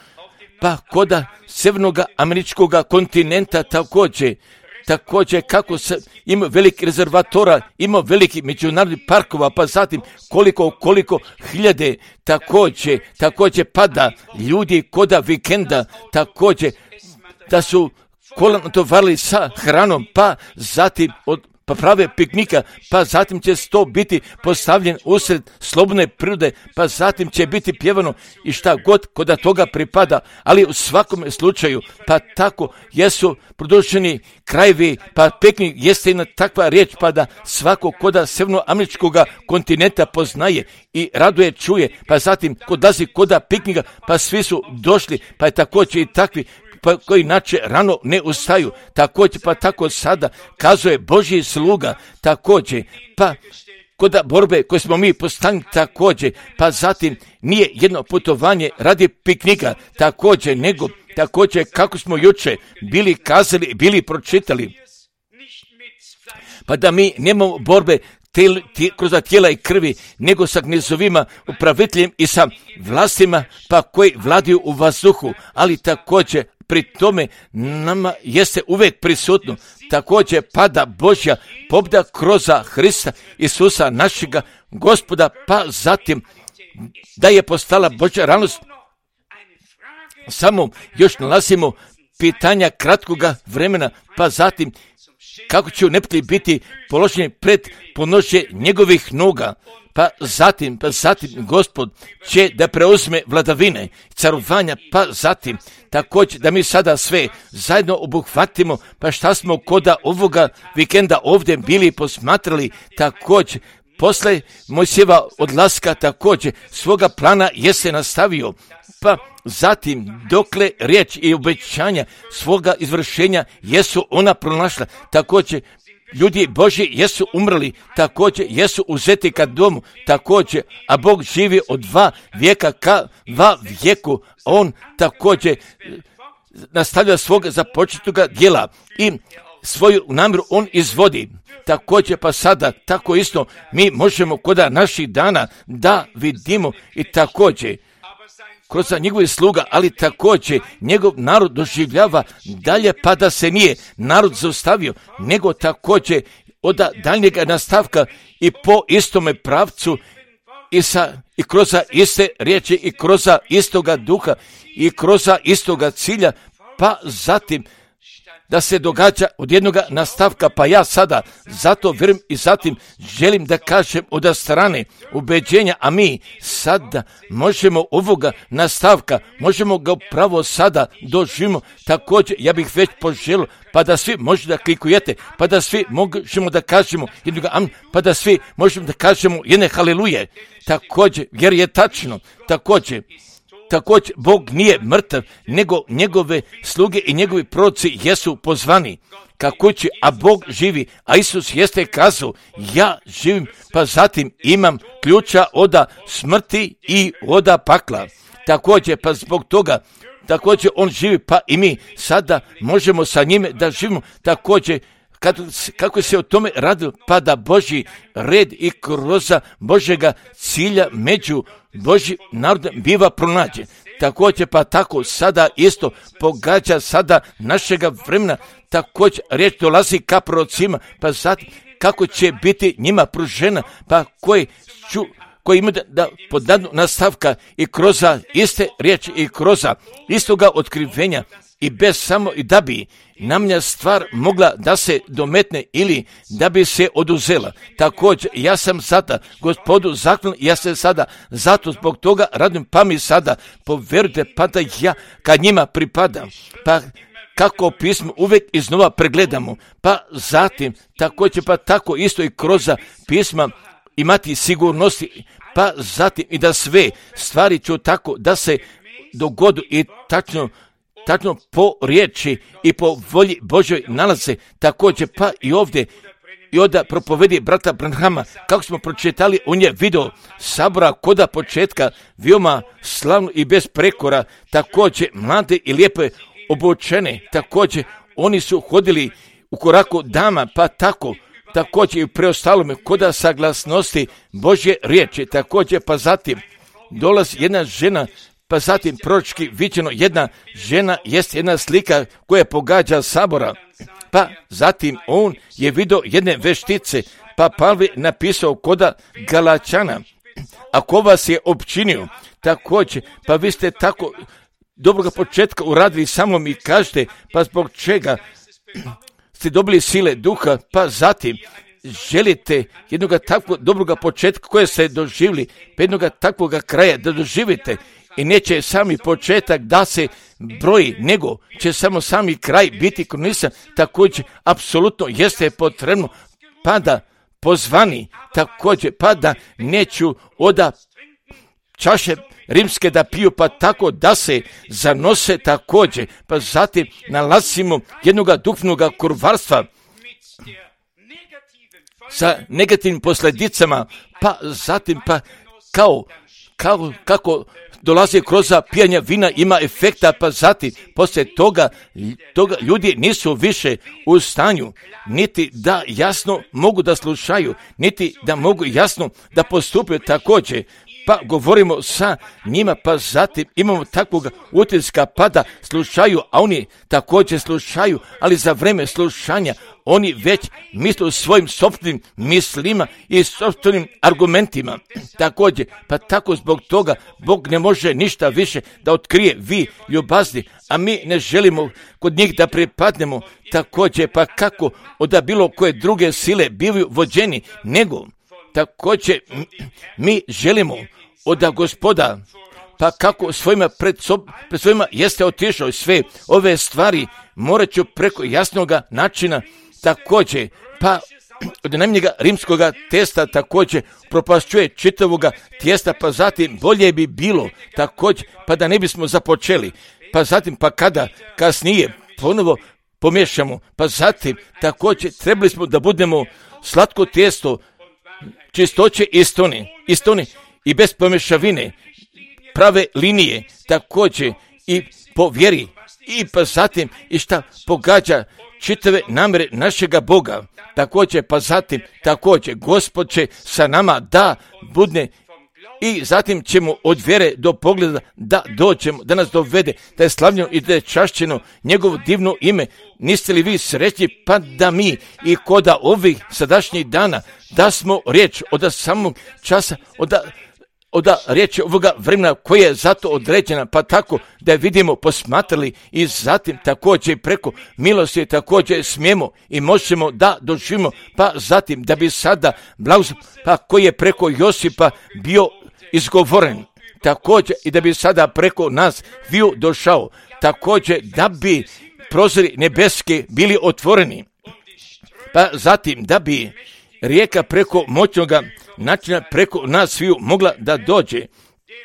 pa koda sjevernog američkog kontinenta također kako se ima veliki rezervatora, ima veliki međunarodnih parkova, pa zatim koliko hiljade također pada ljudi koda vikenda, također da su kolano tovarili sa hranom, pa zatim pa prave piknika, pa zatim će to biti postavljen usred slobodne prirode, pa zatim će biti pjevano i šta god koda toga pripada, ali u svakom slučaju, pa tako jesu produženi krajevi, pa piknik jeste jedna takva riječ, pa da svako koda sjevernoameričkog kontinenta poznaje i raduje čuje, pa zatim kodazi koda piknika, pa svi su došli, pa je također i takvi pa koji inače rano ne ustaju, također pa tako sada kazuje Božji sluga, također pa kod borbe koje smo mi postavili također, pa zatim nije jedno putovanje radi piknika također, nego također kako smo juče bili kazali, bili pročitali, pa da mi nemamo borbe kroz tijela i krvi, nego sa knezovima, upraviteljem i sa vlastima, pa koji vladaju u vazduhu, ali također pri tome nama jeste uvijek prisutno, također pada Božja pobjeda kroz Hrista Isusa našega Gospoda, pa zatim da je postala Božja realnost. Samo još nalazimo pitanja kratkoga vremena, pa zatim kako će neprijatelji biti položeni pred ponošenje njegovih noga, pa zatim Gospod će da preuzme vladavine, carovanja, pa zatim također da mi sada sve zajedno obuhvatimo, pa šta smo koda ovoga vikenda ovdje bili posmatrali, također posle Mojsijeva odlaska također svoga plana jeste nastavio, pa zatim dokle riječ i obećanja svoga izvršenja jesu ona pronašla, također ljudi Božji jesu umrli, također jesu uzeti ka domu, također, a Bog živi od 2 vijeka ka 2 vijeku, on također nastavlja svoga započetoga djela i svoju namjeru on izvodi. Također pa sada, tako isto, mi možemo koda naših dana da vidimo i također kroz njegovih sluga, ali također njegov narod doživljava dalje, pa da se nije narod zaustavio, nego također od daljnjega nastavka i po istome pravcu i kroz iste riječi i kroz istoga duha i kroz istoga cilja, pa zatim da se događa od jednog nastavka, pa ja sada zato vjerujem i zatim želim da kažem od strane ubeđenja, a mi sada možemo ovoga nastavka, možemo ga upravo sada doživimo, također ja bih već poželio, pa da svi možete da klikujete, pa da svi možemo da kažemo jednoga amen, pa da svi možemo da kažemo jedne haleluje, također jer je tačno, također Bog nije mrtav, nego njegove sluge i njegovi proroci jesu pozvani ka kući, a Bog živi, a Isus jeste kazao, ja živim, pa zatim imam ključa od smrti i od pakla. Također, pa zbog toga, također on živi, pa i mi sada možemo sa njime da živimo, također, kako se o tome radilo, pa da Božji red i kroz Božjega cilja među Božji narod biva pronađen. Također pa tako sada isto pogađa sada našega vremena, također riječ dolazi ka prorocima, pa zatim kako će biti njima pružena, pa koji ima da podadnu nastavka i kroz iste riječi i kroz istoga otkrivenja i bez samo i da bi namlja stvar mogla da se dometne ili da bi se oduzela. Također, ja sam sada Gospodu zahvalan, ja se sada zato zbog toga radim, pa mi sada povjerujte, pa da ja kad njima pripadam, pa kako pismo uvijek iznova pregledamo, pa zatim također pa tako isto i kroz pisma imati sigurnosti, pa zatim i da sve stvari ću tako da se dogodu i tačno po riječi i po volji Božoj nalaze, također pa i ovdje i onda propovedi brata Branhama, kako smo pročitali, on je video sabora koda početka, veoma slavno i bez prekora, također mlade i lijepe obučene, također oni su hodili u koraku dama, pa također i u preostalome koda saglasnosti Božje riječi, također pa zatim dolazi jedna žena, pa zatim proročki viđeno jedna žena jest jedna slika koja pogađa sabora, pa zatim on je vidio jedne veštice, pa Pavle napisao koda Galačana, ako vas je opčinio, također, pa vi ste tako dobroga početka uradili sa mnom i kažete, pa zbog čega ste dobili sile duha, pa zatim želite jednoga takvog dobroga početka koje ste doživjeli, pa jednoga takvoga kraja da doživite i neće sami početak da se broji, nego će samo sami kraj biti kronisan, također apsolutno jeste potrebno, pa da pozvani, također, pa da neću oda čaše rimske da piju, pa tako da se zanose također, pa zatim nalazimo jednoga duhovnoga kurvarstva sa negativnim posljedicama, pa zatim pa kako dolazi kroz pijanje vina ima efekta, pa zatim poslije toga ljudi nisu više u stanju niti da jasno mogu da slušaju, niti da mogu jasno da postupaju također. Pa govorimo sa njima, pa zatim imamo takvog utiska pa da slušaju, a oni također slušaju, ali za vreme slušanja oni već misle svojim sopstvenim mislima i sopstvenim argumentima. Također, pa tako zbog toga Bog ne može ništa više da otkrije, vi ljubazni, a mi ne želimo kod njih da pripadnemo. Također, pa kako od bilo koje druge sile bivaju vođeni, nego također mi želimo od Gospoda, pa kako pred svojima jeste otišao sve ove stvari, morat ću preko jasnoga načina također, pa od najmanjega rimskoga testa također propašćuje čitavoga tijesta, pa zatim bolje bi bilo također, pa da ne bismo započeli, pa zatim pa kada kasnije ponovo pomiješamo, pa zatim također trebali smo da budemo slatko tijesto, čistoće istone i bez pomješavine, prave linije, također i po vjeri, i pa zatim i šta pogađa čitave namere našega Boga, također pa zatim također Gospod će sa nama da budne i zatim ćemo od vjere do pogleda da dođemo, da nas dovede, da je slavljeno i da je čašćeno njegovo divno ime. Niste li vi srećni, pa da mi i koda ovih sadašnjih dana da smo riječ od samog časa, od riječi ovoga vremena koje je zato određena, pa tako da je vidimo, posmatrali i zatim također preko milosti također smijemo i možemo da doživimo, pa zatim da bi sada blagoslov, pa koji je preko Josipa bio izgovoren, također i da bi sada preko nas bio došao, također da bi prozori nebeske bili otvoreni, pa zatim da bi rijeka preko moćnoga načina preko nas sviju mogla da dođe.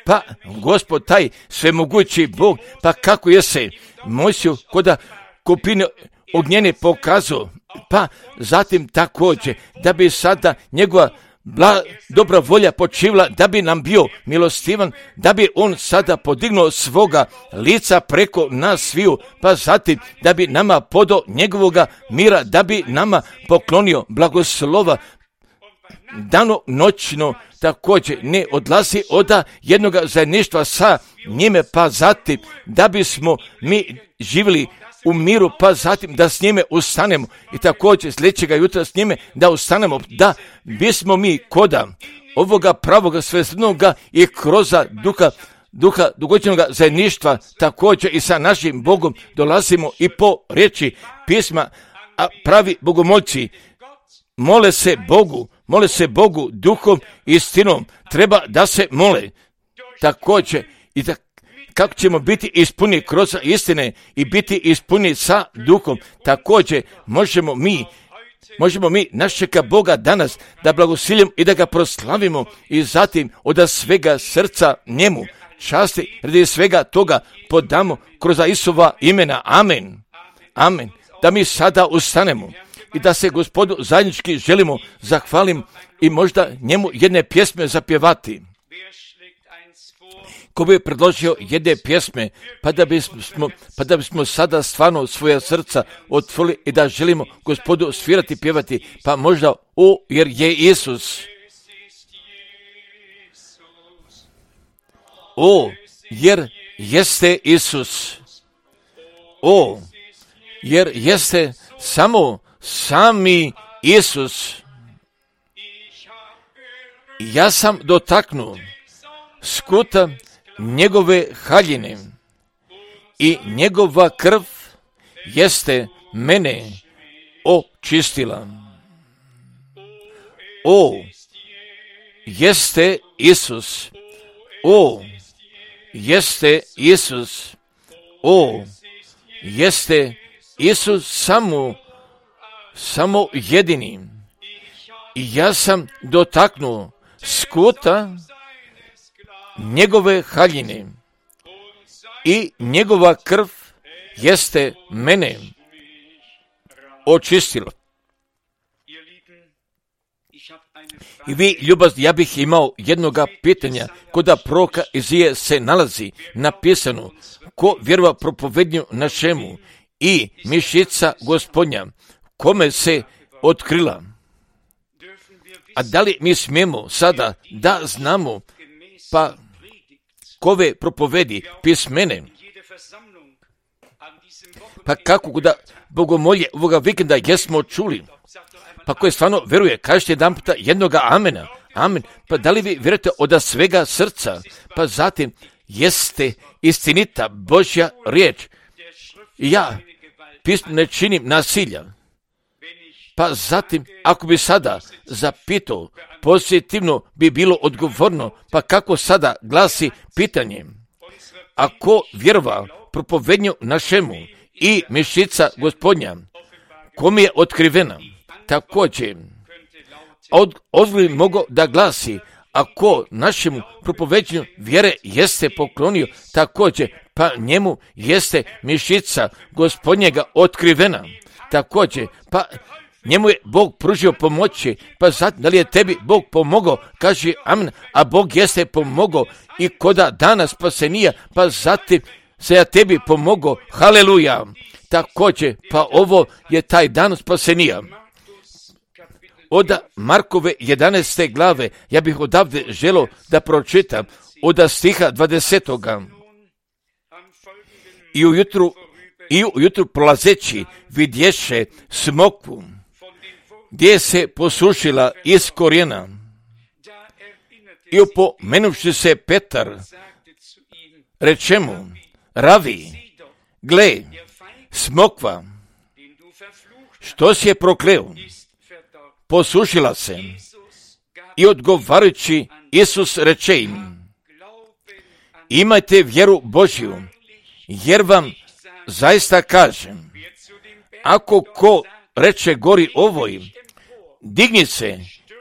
Pa Gospod taj svemogući Bog, pa kako je se Mojsiju koda kupine ognjene pokazao, pa zatim također da bi sada njegova dobra volja počivla, da bi nam bio milostivan, da bi on sada podignuo svoga lica preko nas sviju, pa zatim da bi nama podao njegovoga mira, da bi nama poklonio blagoslova dano noćno, također ne odlazi od jednoga zajedništva sa njime, pa zatim da bismo mi živjeli u miru, pa zatim da s njime ustanemo i također sljedećega jutra s njime da ustanemo, da bismo mi koda ovoga pravoga svesnoga i kroz duha dugoćenoga zajedništva također i sa našim Bogom dolazimo i po riječi pisma, a pravi bogomolci mole se Bogu duhom i istinom, treba da se mole također i da kako ćemo biti ispuni kroz istine i biti ispuni sa duhom, također možemo mi našega Boga danas da blagosiljemo i da ga proslavimo i zatim od svega srca njemu časti radi svega toga podamo kroz Isova imena. Amen. Amen. Da mi sada ustanemo i da se Gospodu zajednički želimo zahvalim i možda njemu jedne pjesme zapjevati. Ko bi predložio jedne pjesme, pa da bismo sada stvarno svoja srca otvorili i da želimo Gospodu svirati, pjevati, pa možda jer je Isus. Jer jeste Isus. Jer jeste sami Isus. Ja sam dotaknuo skuta njegove haljine i njegova krv jeste mene očistila. Jeste Isus. Jeste Isus. Jeste Isus samo jedini. I ja sam dotaknuo skuta njegove haljine i njegova krv jeste mene očistila. I vi, ljubazni, ja bih imao jednoga pitanja. Kod proroka Izije se nalazi napisano: ko vjerova propovednju našemu i mišica Gospodnja, kome se otkrila. A da li mi smijemo sada da znamo, pa kove propovedi pismene, pa kako da bogomolje ovoga vikenda jesmo čuli, pa koje stvarno veruje, kažete jedan puta jednoga amena, amen, pa da li vi vjerujete od svega srca, pa zatim jeste istinita Božja riječ. Ja pismo ne činim nasilja, pa zatim ako bi sada zapitao, pozitivno bi bilo odgovorno, pa kako sada glasi pitanje: ako vjerova propovednju našemu i mišica Gospodnja, kom je otkrivena, također odgovor mogao da glasi: ako našemu propoveđenju vjere jeste poklonio, također pa njemu jeste mišica Gospodnjega otkrivena, također pa njemu je Bog pružio pomoći, pa zatim da li je tebi Bog pomogao, kaže amen, a Bog jeste pomogao i koda dana spasenija, pa zatim se ja tebi pomogao, haleluja. Također, pa ovo je taj dan spasenija. Od Markove 11. glave, ja bih odavde želio da pročitam od stiha 20. I ujutru prolazeći vidješe smokvu, gdje se posušila iz korijena. I opomenuvši se Petar, reče mu: Ravi, gle, smokva, što si je prokleo, posušila se. I odgovarajući Isus reče im: imajte vjeru Božju, jer vam zaista kažem, ako ko reče gori ovoj, digni se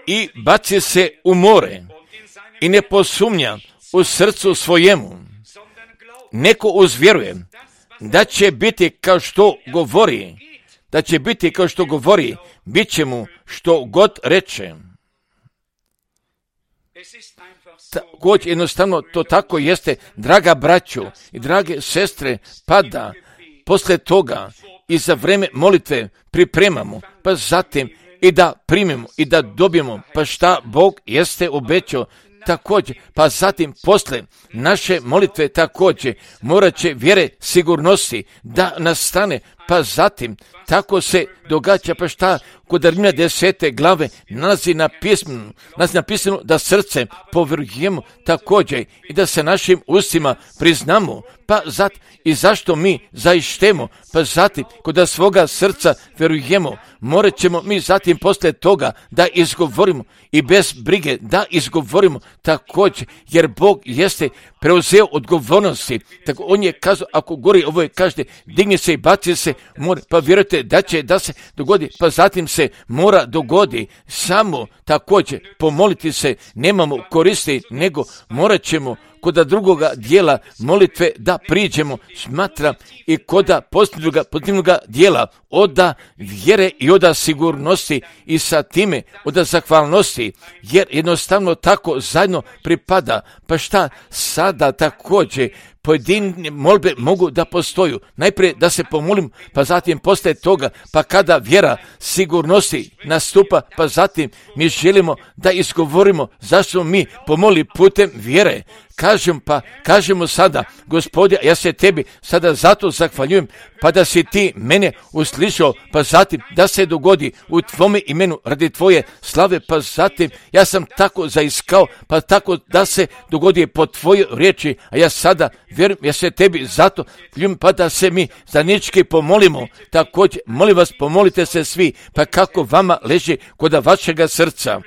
i baci se u more, i ne posumnja u srcu svojemu, neko uzvjeruje da će biti kao što govori, bit će mu što god reče. Također jednostavno to tako jeste, draga braćo i drage sestre, pada posle toga i za vreme molitve pripremamo, pa zatim i da primimo i da dobijemo, pa šta Bog jeste obećao. Također, pa zatim posle naše molitve također morat će vjere sigurnosti da nastane, pa zatim tako se događa, pa šta kod Rimljana 10. glave nalazi napisano da srce povjerujemo također i da se našim ustima priznamo, pa zatim i zašto mi zaištemo, pa zatim kod svoga srca vjerujemo, morat ćemo mi zatim posle toga da izgovorimo i bez brige da izgovorimo također, jer Bog jeste preuzeo odgovornosti. Tako on je kazao, ako gori ovo je kažete, digni se i baci se, more, pa vjerujte da će da se dogodi, pa zatim se mora dogodi. Samo također pomoliti se nemamo koristi, nego morat ćemo koda drugoga dijela molitve da priđemo, smatra i koda pozitivnoga dijela, oda vjere i oda sigurnosti i sa time oda zahvalnosti, jer jednostavno tako zajedno pripada. Pa šta sada također pojedine molbe mogu da postoju. Najprije da se pomolim, pa zatim poslije toga, pa kada vjera sigurnosti nastupa, pa zatim mi želimo da izgovorimo zašto mi pomoli putem vjere. Kažemo sada, Gospode, ja se tebi sada zato zahvaljujem, pa da si ti mene uslišao, pa zatim da se dogodi u tvome imenu radi tvoje slave, pa zatim ja sam tako zaiskao, pa tako da se dogodi po tvojoj riječi, a ja sada vjerujem, ja se tebi zato zahvaljujem, pa da se mi zajednički pomolimo. Također, molim vas, pomolite se svi, pa kako vama leži kod vašega srca.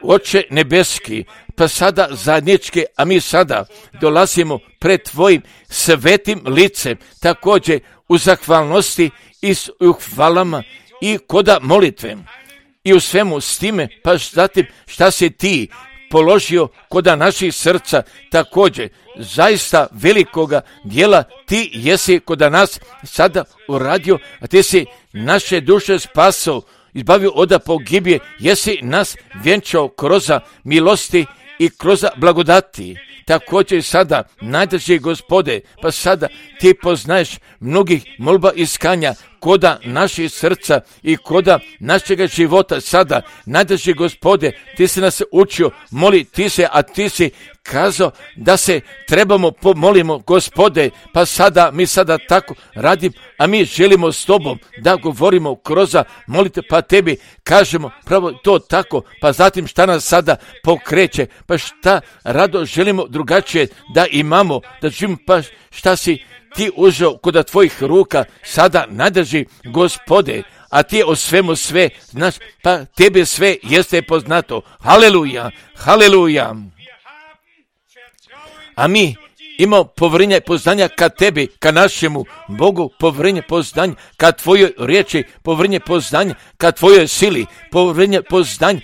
Oče nebeski, pa sada zajednički, a mi sada dolazimo pred tvojim svetim licem, također u zahvalnosti i u hvalama i koda molitve i u svemu s time, pa zatim šta si ti položio koda naših srca, također zaista velikoga dijela ti jesi koda nas sada uradio, a ti si naše duše spasao, izbavio od pogibije, jesi nas vjenčao kroz milosti i kroz blagodati. Također sada, najdrži Gospode, pa sada ti poznaješ mnogih molba iskanja koda naših srca i koda našega života sada. Najdrži Gospode, ti si nas učio, moli ti se, a ti si kazao da se trebamo pomolimo, Gospode, pa sada mi sada tako radim, a mi želimo s tobom da govorimo kroz molite, pa tebi kažemo pravo to tako, pa zatim šta nas sada pokreće, pa šta rado želimo drugačije da imamo, da živimo, pa šta si ti uzeo kod tvojih ruka sada nadrži, Gospode, a ti o svemu sve znaš, pa tebe sve jeste poznato. Haleluja, haleluja. A mi imamo povjerenje poznanja ka tebi, ka našemu Bogu, povjerenje poznanja ka tvojoj riječi, povjerenje poznanja ka tvojoj sili, povjerenje poznanja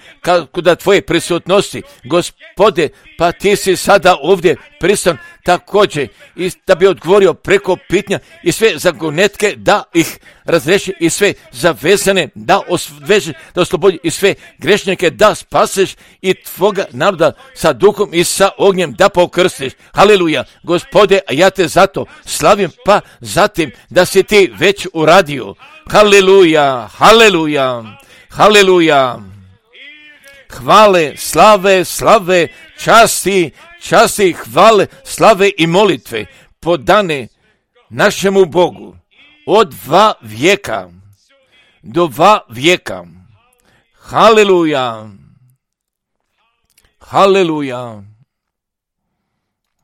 kod tvoje prisutnosti. Gospode, pa ti si sada ovdje prisutan također i da bi odgovorio preko pitanja i sve zagonetke da ih razreši i sve zavezane da osveži, da oslobodi i sve grešnike da spaseš i tvoga naroda sa duhom i sa ognjem da pokrstiš. Haleluja, Gospode, a ja te zato slavim, pa zatim da si ti već uradio. Haleluja, haleluja, haleluja. Hvale, slave, časti, hvale, slave i molitve podane našemu Bogu od 2 vijeka do 2 vijeka. Haleluja, haleluja.